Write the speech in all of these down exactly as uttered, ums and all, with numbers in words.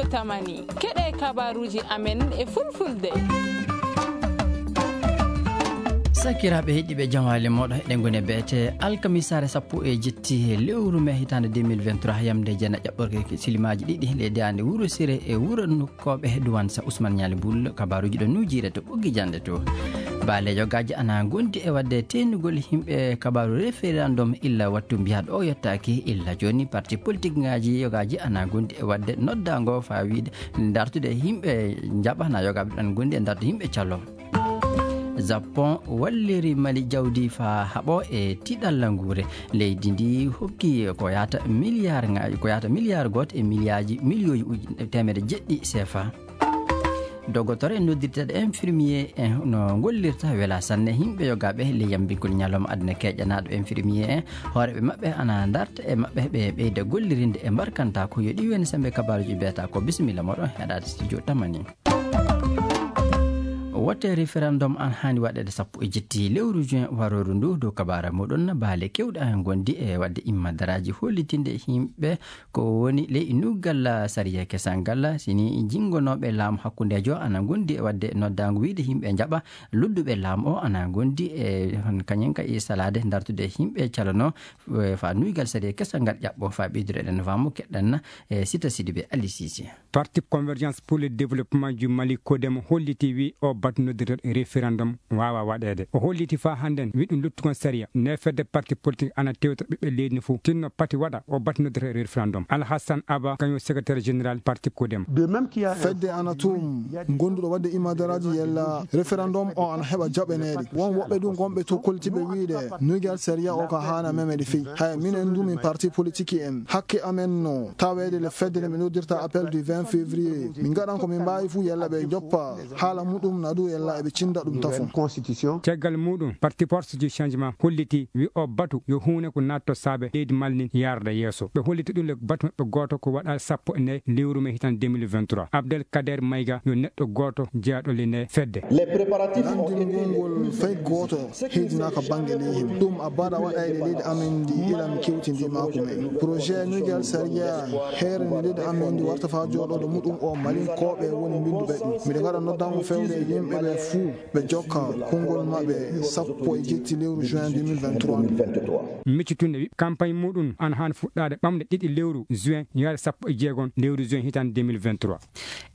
Tamani, keɗe kabaruuji amen e fulfulde. Sakiraaɓe heɗiiɓe, jamaale mooɗo, eɗen ngoni e beete alkamisaare sappo e jetti e lewru mee hitaande deux mille vingt-trois, yamde jeena ƴaɓɓorke silimaaji ɗiɗi leydi ande Wuro Sire e wuro Nukkooɓe, duwan sa Ousmane Ñaali Bul. Kabaruuji ɗo nuujiire to Ɓoggi Jannde to. Baale yogaaji ana ngondi e waɗde teenugol yimɓe kabaru référendum illa wattu mbiyaaɗo o yottaaki. Illa jooni parti politique ngaaji yogaaji ana ngondi e waɗde noddaango faa wiide dartude yimɓe njaɓa na yogaaɓe ɗan ngondi e dartude yimɓe calo. Japon walliri Mali jawdi faa haɓo e tiiɗalla nguure. Leydi ndi hokki ko yahata milliard nga-, ko yahata milliard gooto e miliyaaji, miliyooji uji teemedde jeɗɗi C F A. Dogotoro en noddirteeɗo infirmier en no gollirta wela sanne yimɓe yogaaɓe ley yambingol ñalawma aduna keƴanaaɗo infirmier en. Hooreeɓe maɓɓe ana darta e maɓɓe ɓe ɓeyda gollirinde e mbarkanta ko yo ɗi woni sembe kabaruuji beeta ko. Bisimilla moɗon heɗaade studio Tamani. Wote référendum an haani waɗeede sappo e jetti lewru juin warooru ndu. Dow kabaara muɗum, baale keewɗe an ngondi e waɗde immadaraaji hollitinde yimɓe ko woni ley nuugal sariya kesal ngal. Sini jinngonooɓe laamu hakkundeejo ana ngondi e waɗde noddaango wiide yimɓe njaɓa, luttuɓe laamu o ana ngondi e hon kañum ka e salaade dartude yimɓe calano, eh, faa nuugal sariya kesal ngal ƴaɓɓo. Faa ɓeydude eɗen faamu keɗɗan, eh, Sita Sidibe Ali Sise. Parti Convergence pour le Développement du Mali, CODEM, holliti wi o batu noddirteeɗo référendum waawa waɗeede. O holliti faa hannden wi ɗum luttugol sariya. Nde fedde parti politique ana tewta ɓiɓɓe leydi ndi fof, tinno pati waɗa o batu noddirteeɗo référendum. Alhassan Aba, kañum secrétaire général parti CODEM. Fedde ana tum gonduɗo waɗde imadaraaji yalla référendum o ana heɓa jaɓaneede. Won woɓɓe ɗum gonɓe to koltiɓe wiide nuugal sariya o ka haana memede fey. Hay minen du min parti politique en, hakke amen no taweede le fedde nde ɓe noddirta appel du vingt février. Min ngaɗan ko min mbaawi fuu yalla ɓe joppa haala muɗum na du yalla eɓe cinda ɗum tafon. Caggal muɗum, parti Force du Changement holliti wi o batu yo huune ko natto saabe leydi Mali ndin yarda yeeso. Ɓe holliti ɗum le batu maɓɓe gooto ko waɗa sappo e nayi lewru mee hitaande deux mille vingt-trois. Abdel Kader Maïga yo neɗɗo gooto jeyaaɗo le nde fedde. Nanndingol ngol fay gooto heedinaaka bannge leydi. Ɗum a baɗa waɗayde leydi amen ndi ila mi kewtindi maaku men. Projet nuugal sariya heere nde leydi amen ndi warta faa jooɗoode muɗum o Malinkooɓe woni mbinnduɓe ɗum. Miɗo ngaɗa noddaango fewde e yimɓe ɓe fuu ɓe jokka konngol maɓɓe sappo e jetti lewru juin deux mille vingt-trois. Miccitunde wi campagne muɗum ana haani fuɗɗaade ɓamde ɗiɗi lewru juin yaade sappo e jeegom lewru juin hitaande deux mille vingt-trois.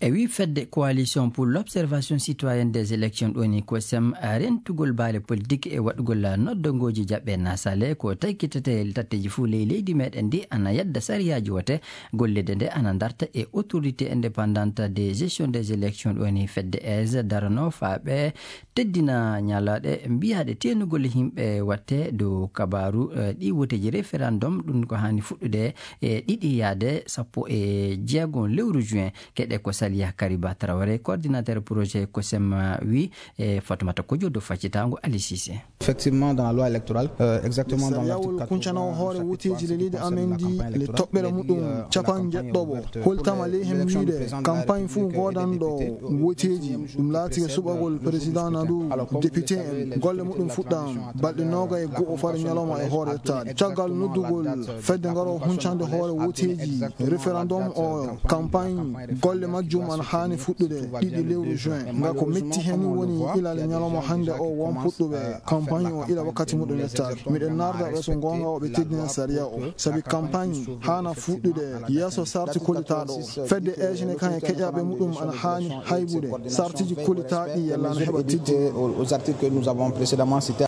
E wi fedde Coalition pour l'Observation Citoyenne des Élections, ɗo ni COSEM, rentugol baale politique e waɗugol noddongooji jaɓɓe na sale ko taykitete tatteeji fuu ley leydi meɗen ndi ana yadda sariyaaji wote. Gollirde nde ana darta e Autorité Indépendante de Gestion des Élections, ɗo ni fedde aise darano faa ɓe teddina ñalaaɗe mbiyaaɗe teenugol yimɓe watte dow kabaaru, eh, ɗi woteeji référendum, ɗum ko haani fuɗɗude e ɗiɗi yaade sappo e jeegom lewru juin. Keɗe ko Saliya Kariba Traoré, coordinateur projet COSEM, wi e Fatoumata Kodjo dow faccitaango Ali Cissé. Effectivement, dans la loi électorale, euh, exactement dans l'article quatre-vingts, kuncanowo hoore woteeji le leydi amen ndi, le toɓɓere muɗum capanɗe jeɗɗoɓo, holtama ley hen wiide campagne fuu goodanɗo woteeji, ɗum laati e suɓagol président na du député en, golle muɗum fuɗɗaama balɗe noogayi e go'o fare ñalawma e hoore yettaade. Caggal noddugol fedde ngaro huncande hoore woteeji référendum o campagne, golle majjum ana haani fuɗɗude ɗiɗi lewru juin. Nga ko metti hen woni ilal e ñalawma hannde o won puɗɗuɓe campagne o ila wakkati muɗum yettaade. Miɗen narda ɓe so goonga o ɓe teddina sariya o. Sabi campagne haana fuɗɗude yeeso sarti kollitaaɗo o. Fedde eejine kan e keƴaaɓe muɗum ana haani haybude sartiji kollitaaɗi yalla ana heɓa teddine. Aux articles que nous avons précédemment cités.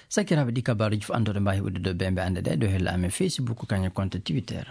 Sakiraaɓe, ɗi kabaaruuji fof anndude mbaawi uddude ɓe mbe annde ɗe ɗo hella amen Facebook kañum compte Twitter.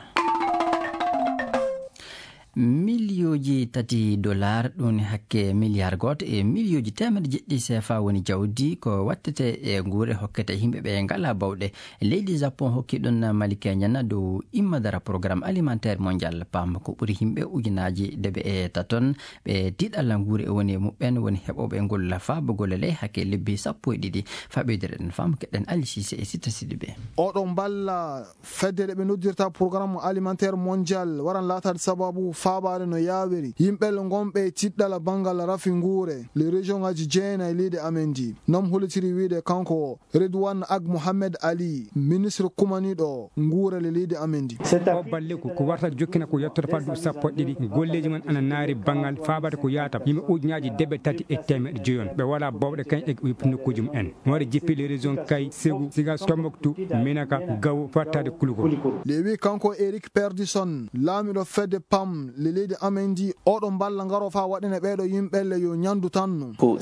Miliyooji tati dollar, ɗum woni hakke miliyar gooto e miliyooji teemedde jeɗɗi C F A woni jawdi ko wattete e nguure hokkete yimɓe ɓe ngalaa bawɗe. Leydi Japon hokki ɗum Mali Keñan dow immadara programme alimentaire mondial. Paam ko ɓuri yimɓe ujunaaji deɓe e taton ɓe tiiɗalla nguure e woni e muɓɓen woni heɓooɓe ngol faabugol ley hakke lebbi sappo e ɗiɗi. Faa ɓeydude ɗen faamu keɗen Ali Cissé e Sita Sidibé. Oɗo mballa fedde ɗe ɓe noddirta programme alimentaire mondial waran laataade sababu faabaade no yaawiri yimɓelle ngonɓe e tiɗɗala banngal rafi nguure le région ngaji jeenayi leydi amen ndi. Noom hollitiri wiide kanko o Redouane Ag Mohamed Ali, ministre kumaniiɗo nguurale leydi amen ndi. O balleku ko warta jokkina ko yettoto faddu sappo e ɗiɗi. Golleeji man ana naari banngal faabata ko yaata yimɓe ujunaaji deɓe tati e teemeɗe joyon. Ɓe wala bowɗe kañ e nokkuuji mum en. Waɗi jippi les régions Kay, Ségou, Sigas, Tombouctou, Minaka, Gao, fattaade Kouloukoulou. Nde wi kanko Eric Perdison, laamiɗo fedde pam le leydi amen ndi, oɗo mballa ngaro fa waɗene ɓeeɗo yimɓelle yo ñandu tanno. O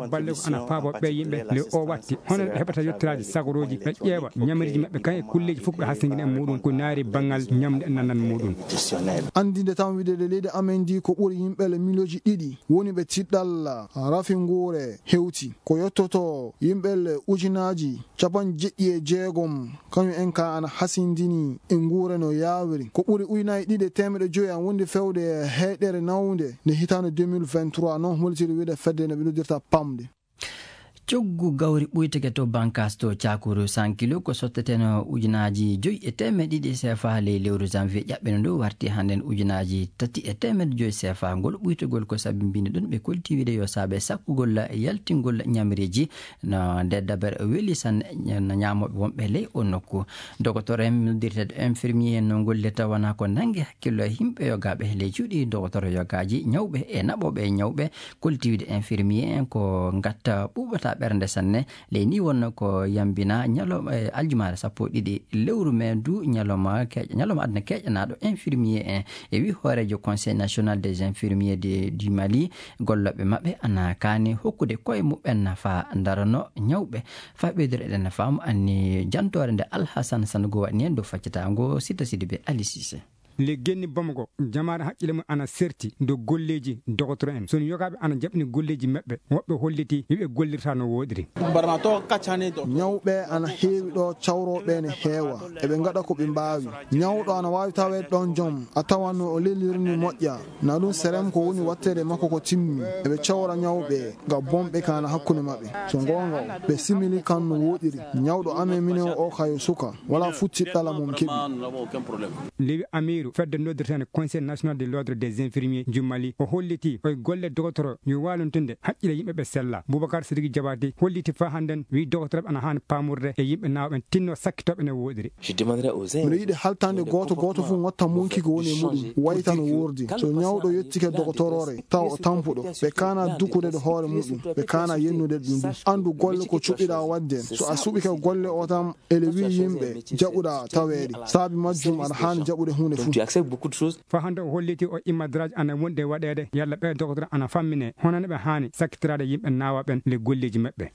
balle ko ana faabo ɓe yimɓe le o watti hono ɓe heɓata yettoraaji sagorooji, ɓe ƴeewa ñamriiji maɓɓe kañ e kulleeji fof ɓe hasingina e muɗum ko naari banngal ñamde e nanan muɗum. Anndinde tan wiide le leydi amen ndi ko ɓuri yimɓelle miliyonji ɗiɗi woni ɓe tiɗɗal rafi nguure hewti ko yettoto yimɓelle ujunaaji capanɗe jeɗɗi e jeegom. Kañum en ka ana hasindini e nguure no yaawiri. Ko ɓuri ujunaaji ɗiɗi e teemeɗe joyi an wondi fewde e heyɗere nawnde nde hitaande deux mille vingt-trois, noon hollitiri wiide fedde no ɓe noddirta pamde. Coggu gawri ɓuyteke to Bankas to Cakuru cent kilo ko sotteteno ujunaaji joyi e teemeɗe ɗiɗi C F A ley lewru janvier ƴaɓɓino ndu warti hannden ujunaaji tati e teemeɗe joyi C F A. Ngol ɓuytogol ko sabi mbindi ɗum ɓe kolti wiide yo saabe sakkugol yaltingol ñamriiji no nde dabere weli sanne no ñaamooɓe wonɓe ley o nokku. Dogotor en noddirteeɗo infirmier no gollirta wona ko nannge hakkillo e yimɓe yogaaɓe ley cuuɗi dogotor yogaaji ñawɓe e naɓooɓe e ñawɓe. Kolti wiide infirmier en ko ngatta ɓuuɓata ɓernde sanne. Ley ni wonno ko yambina ñalawma e aljumaare sappo e ɗiɗi lewru mai du ñalawma keeƴa ñalawma aduna keeƴanaaɗo infirmier en. E wi hooreejo conseil national des infirmiers de du Mali, gollooɓe maɓɓe ana kaani hokkude koye muɓɓen nafa darano ñawɓe. Fa ɓeydoro eɗen faamu anni jantoore nde Alhasan Sango waɗni en dow faccitaango Sita Sidibe Ali Sise. Le genni Bamako jamaare haqqille mum ana serti dow golleeji dogotoro en. So yogaaɓe ana jaɓni golleeji maɓɓe woɓɓe holliti wiɓe gollirta no wooɗiri. Ñawɓe ana heewi ɗo, cawrooɓe ne heewa, eɓe ngaɗa ko ɓe mbaawi. Ñawɗo ana waawi taweede ɗoon joom a tawanno o lelirni moƴƴa. Na ɗum serem ko woni watteede makko ko timmi. Eɓe cawra ñawɓe ga bonɓe kana hakkunde maɓɓe. So goonga o ɓe simili kan no wooɗiri. Ñawɗo amen minen o kayo suka wala futti ɗala mum keɓi. Lewi Amiru fedde noddirtene Conseil national de l'ordre des infirmiers jummali o holliti koye golle dogotoro yo walontunde haqqille yimɓe ɓe sella. Boubacar Sidiki Jabati holliti fa hannden wi dogotoroɓe ana haani paamurde e yimɓe naawɓe tinno sakkitooɓe ne wooɗiri. Miɗo yiɗi haltande gooto gooto fof ngotta monki ko woni e muɗum wayta no wuurdi. So ñawɗo yettike dogotoroore tawa o tampuɗo ɓe kaana dukude ɗo hoore muɗum, ɓe kaana yennude ɗum ɗum. Anndu golle ko cuɓiɗa waɗde. So a suɓike golle o tan ele wi yimɓe jaɓuɗa taweede. Saabi majjum aɗa haani jaɓude huunde fof. Fa hannde o holliti o immadraji ana wonde waɗeede yalla ɓe dogotoro ana fammine honano ɓe haani sakkitiraade yimɓe naawa ɓen le golleeji maɓɓe.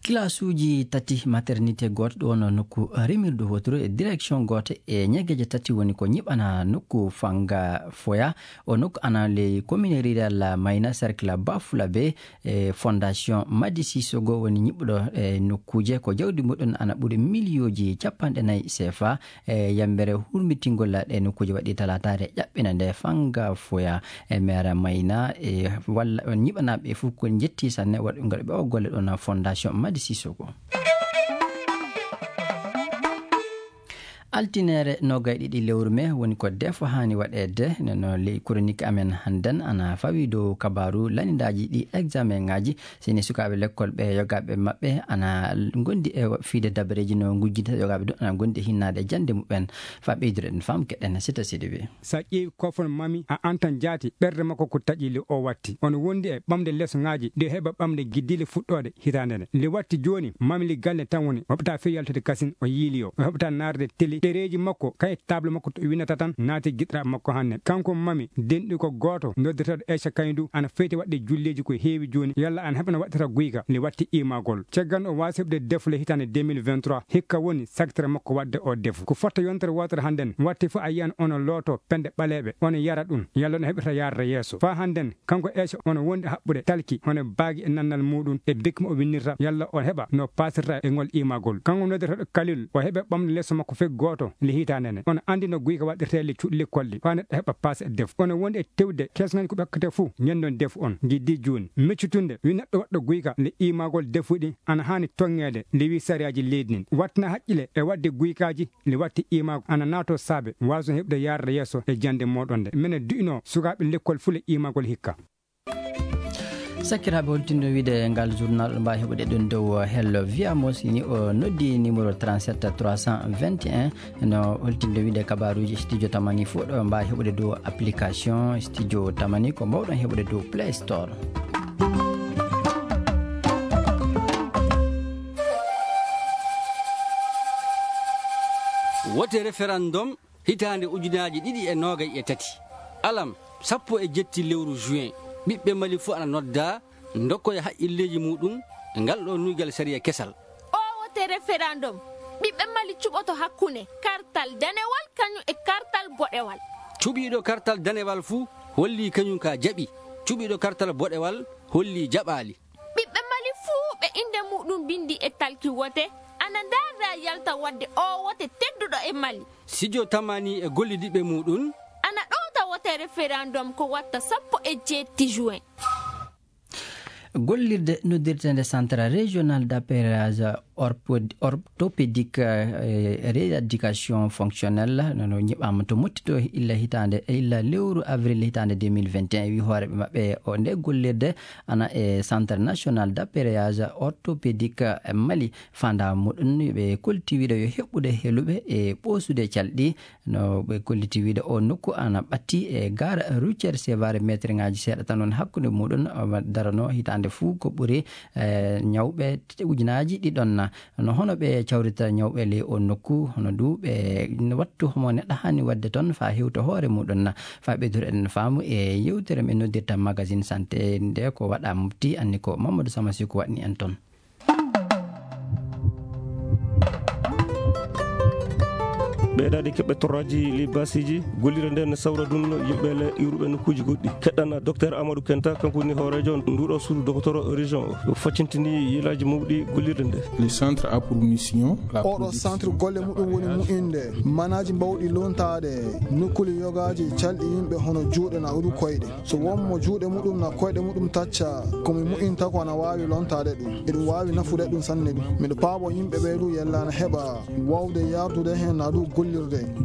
Kilasuuji tati maternité gooto ɗo wonno nokku rimirdu woturu e direction gooto e ñegeje tati woni ko ñiɓana nokku fanga foya. O nokku ana ley commune rural mayna cercle bafula be e fondation madi sisogo woni ñiɓɗo e nokkuuje ko jawdi muɗum ana ɓuri miliyooji capanɗe nayi sefa. E yambere hurmitingol ɗe nokkuuje waɗi talataare ƴaɓɓina nde fanga foya e mere mayna e walla on ñiɓanaaɓe fof ko jetti sanne waɗugol ɓe o golle ɗon fondation madi sisogo. Altinere nogay ɗiɗi lewru me woni ko defo haani waɗeede no ley chronique amen hannden ana fawi dow kabaru lanidaaji ɗi examen ngaji. Sini sukaaɓe lekkol ɓe yogaaɓe maɓɓe ana ngondi e fiide dabareeji no ngujjinta yogaaɓe du ana ngondi e hinnaade jannde muɓɓen. Fa ɓeydude ɗen fam keɗen sita sidi wi. Sa ƴeewi kofon mami a antan jaati ɓerde makko ko taƴi le o watti on wondi e ɓamde leso ngaji nde heɓa ɓamde giddile fuɗɗoode hitaande nde nde watti jooni mami li galle tan woni hoɓata few yaltude kasin o yiiliyo o heɓata naarde teli ɗereeji makko kay table makko to winata tan naati giɗɗa makko hanne kanko mami denɗi ko gooto noddeteeɗo eca kaydu ana feyti waɗde julleeji ko heewi jooni yalla ana heɓana waɗtata guyka nde watti imagol caggal o waasi heɓde defle hitaande deux mille vingt-trois hikka woni sagtere makko waɗde o defu ko fotta yontere wootere hannden watti fof a yiyan ono looto pende ɓaleeɓe ono yara ɗum yalla no heɓirta yaarde yeeso faa hannden kanko eca ono wondi haɓɓude talki hono baagi e nannal muɗum e bekki mo o winnirta yalla o heɓa no paasirta e ngol imagol kanko noddeteeɗo kalil o heɓe ɓamde leso makko feggo Oto le hitaande nde. Onon anndi no guyka waɗirtee le cuuɗi lekkol ɗi, faa neɗɗo heɓa paas e defu. Onon wondi e tewde kees ngañ ko ɓe hokkata fuu, ñenndon defu on. Ngi di juuni. Miccutunde, wi neɗɗo waɗɗo guyka le imaagol defu ɗi, ana haani toŋŋeede, le wi sariyaaji leydi ndin. Wattina haqqile e waɗde guykaaji, le watti imaago, ana naato saabe, waason heɓde yaarde yeeso e jannde mooɗon nde. Minen du'inoo sukaaɓe lekkol fuu le imaagol hikka. Sakiraaɓe, holtindo wiide ngal journal, on mbaawi heɓude ɗum dow Hello Via Mo, si ni o noddi numéro trente-sept trois cent vingt et un. No holtindo wiide kabaaruuji Studio Tamani fof, ɗo mbaawi heɓude dow application Studio Tamani, ko mbawɗon heɓude dow Play Store. Wote référendum hitaande ujunaaji ɗiɗi e noogay e tati. Alam, sappo e jetti lewru juin, ɓiɓɓe Mali fof ana noddaa, ndokkoya haqqilleeji muɗum e ngal ɗo nuygal sariya kesal. O wote référendum, ɓiɓɓe Mali cuɓoto hakkunde kartal danewal kañum e kartal boɗewal. Cuɓiiɗo kartal danewal fuu holli kañum ka jaɓi, cuɓiiɗo kartal boɗewal holli jaɓaali. Ɓiɓɓe Mali fuu ɓe innde muɗum binndi e talki wote, ana ndaarda yalta waɗde o wote tedduɗo e Mali. Sijo Tamani e gollidiɓɓe muɗum. Ana ɗowta wote référendum ko watta sappo e jeetti juin. Gollirde noddirteende Centre Régional d'Appareillage Orpo-, Orthopédique, eh, Rééducation Fonctionnelle, no, no ñiɓaama to Motti to illa hitaande, illa lewru avril hitaande deux mille vingt et un, wi hooreeɓe maɓɓe o nde gollirde ana e Centre National d'Appareillage Orthopédique Mali. Faandaare muɗum, ɓe kolliti wiide yo heɓɓude heluɓe e ɓoosude calɗi. No ɓe kolliti wiide o nokku ana ɓatti e gare routière Sévaré, meetirŋaaji seeɗa tan woni hakkunde muɗum, o darano hitaande fuu ko ɓuri, eh, ñawɓe te-, ujunaaji ɗiɗon na. No hono ɓe cawrita ñawɓe ley o nokku, hono du ɓe wattu homo neɗɗo haani waɗde toon faa hewta hoore muɗum na. Faa ɓeydude eɗen faamu e yewtere men noddirta Magazine Santé nde ko waɗa Mopti, anni ko Mamadou Samasiku waɗni en toon. Ɓeydaade keɓɓe torraaji ley baasiiji, gollirde nde ne sawra ɗum yimɓe le iwruɓe nokkuuji goɗɗi. Keɗɗana Docteur Amadou Kenta, kanko woni hooreejo nduɗo suudu dokotoro région o. O faccintini yelaaji mawɗi gollirde nde. Le centre a pour mission la oɗo production centre golle muɗum woni mu'inde manaaji mbawɗi lontaade nokkuuli yogaaji calɗi yimɓe hono juuɗe na ɗu koyɗe. So won mo juuɗe muɗum na koyɗe muɗum tacca, ko mi mu'inta ko ana waawi lontaade ɗum. Eɗum waawi nafude ɗum sanne ɗum. Miɗo paabo yimɓe ɓee ɗu yella na heɓa waawde yardude heen na ɗu gollirde.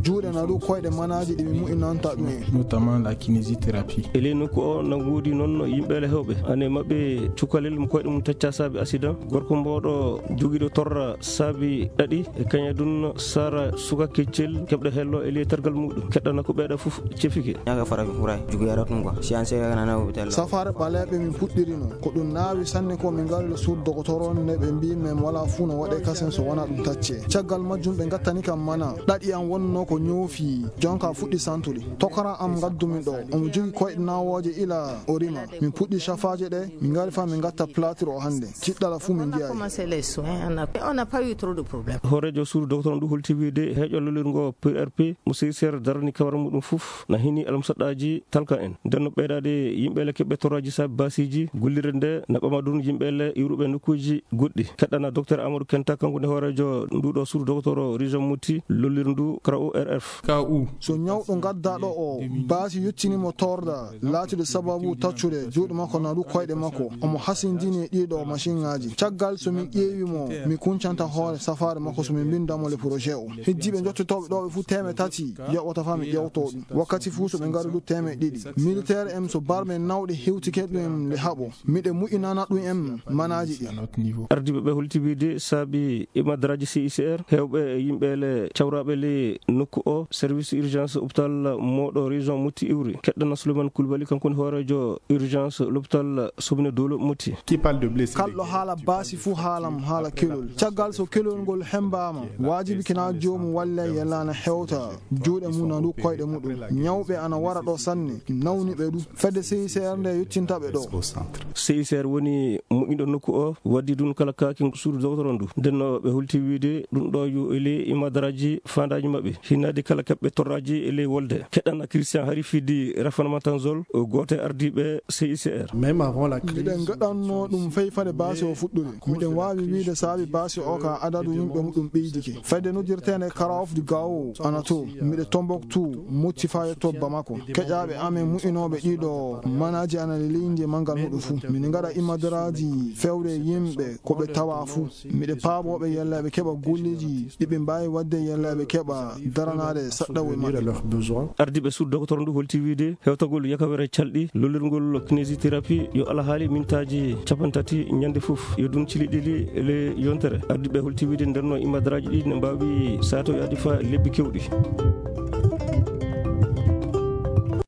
Juuɗe na ɗu koyɗe manaaji ɗi mi mu'inanta ɗum en. Notamment la kinésithérapie. E ley nokku o na ngoodi noon yimɓe le heewɓe. Ane maɓɓe cukalel mo koyɗe mum tacca saabi accident. Gorko mbooɗo jogiiɗo torra saabi ɗaɗi e kañadun sara suka keccel keɓɗo hello e ley tergal muɗum. Keɗɗana ko ɓeeɗa fof cefike. Ñaga fara fi furay, jugu yara tun quoi. Si an sega kana na hôpital la. Safaare ɓaleeɓe min puɗɗirino. Ko ɗum naawi sanne ko min ngari le suudu dokotoro on ne ɓe mbii men wala fuu no waɗe kasen so wona ɗum tacce. Caggal majjum ɓe ngattani kam mana. Ɗaɗi am wonno ko ñoofi. Jonka fuɗɗi santude. Tokara am ngaddumi ɗo. Omo jogi koyɗe nawooje ila o rima. Min puɗɗi cafaaje ɗe, min ngari fa min ngatta plâtre o hannde. Tiɗɗala fuu min On a njiyayi. Commencé les soins, on a, on n'a pas eu trop de problèmes. Hooreejo suudu doktor on ɗum holti wiide heeƴo lollirngo P R P mo C I C R darani kawara muɗum fof na hini almusaɗɗaaji talka en. Nden no ɓeydaade yimɓe le keɓɓe torraaji saabi baasiiji gollirde nde na ɓama ɗum yimɓe le iwruɓe nokkuuji goɗɗi. Keɗɗana Docteur Amadou Kenta, kanko ne hooreejo nduɗo suudu doktor région Mopti lollirndu K O R F. K O. So ñawɗo ngaddaɗo o baasi yottinimo torda, laatiiɗo sababu taccude juuɗe makko na ɗu koyɗe makko, omo hasindini e ɗiɗo masinŋaaji. Caggal so min ƴeewi mo, mi kuncanta hoore safaare makko so min mbinda mo le projet o. Hijjiiɓe njottotooɓe ɗo ɓe fuu teeme tati yoɓata faa mi ƴeewto ɗum. Wakkati fuu so ɓe ngari ɗu teeme ɗiɗi. Militaire en so barme nawɗe hewtike ɗum le haɓo. Miɗe mu'inana ɗum en manaaji ɗi. Ardiiɓe ɓe holti wiide saabi e madaraaji C I C R, heewɓe e yimɓe le cawraaɓe le nokku o, service urgence hôpital mooɗo région Mopti iwri. Keɗɗana Souleymane Coulibaly, kanko woni hooreejo urgence l'hôpital Soubine Dolo Mopti. Qui parle de blessés. Kalɗo haala baasi fuu haalam haala kelol. Caggal so kelol ngol hembaama, waajibi kina joomum walle yellana hewta juuɗe mum na ndu koyɗe muɗum. Ñawɓe ana wara ɗo sanne, nawniɓe ɗu. Fedde C I C R nde yottinta ɓe ɗo. C I C R woni moƴƴinɗo nokku o, waddi ɗum kala kaaki suudu doktor on ndu. Nden no ɓe holti wiide ɗum ɗo yo ele e madaraaji faanda aji maɓɓe hinnaade kala kaɓɓe torraaji e ley wolde. Keɗana Christian Hari fidi Rafan Matanzol, o gooto e ardiiɓe C I C R. Même avant la crise, miɗen gaɗanno ɗum fay fade baasi o fuɗɗude. Miɗen waawi wiide saabi baasi o ka adadu yimɓe muɗum ɓeydike. Fayde noddirteende Karaof du Gao ana to. Miɗe Tombouctou, mucci faa yetto Bamako. Keƴaaɓe amen mu'inooɓe ɗiɗo manaaji ana leydi e manngal muɗum fuu. Miɗen ngaɗa imadaraaji fewre yimɓe ko ɓe tawa fuu. Miɗe paaboo ɓe yalla ɓe keɓa golleeji ɗi ɓe mbaawi waɗde yalla ɓe keɓa daranaade saɗɗawol maɓɓe. Ardiiɓe suudu dokotoro ndu holti wiide hewtagol yakawere calɗi lollirngol kinésithérapie yo alhaali mintaaji cappanɗe tati ñande fof, yo ɗum cili ɗiɗi le yontere. Ardiiɓe holti wiide ndenno imadaraaji ɗi ne mbaawi saatoyaade fa lebbi kewɗi.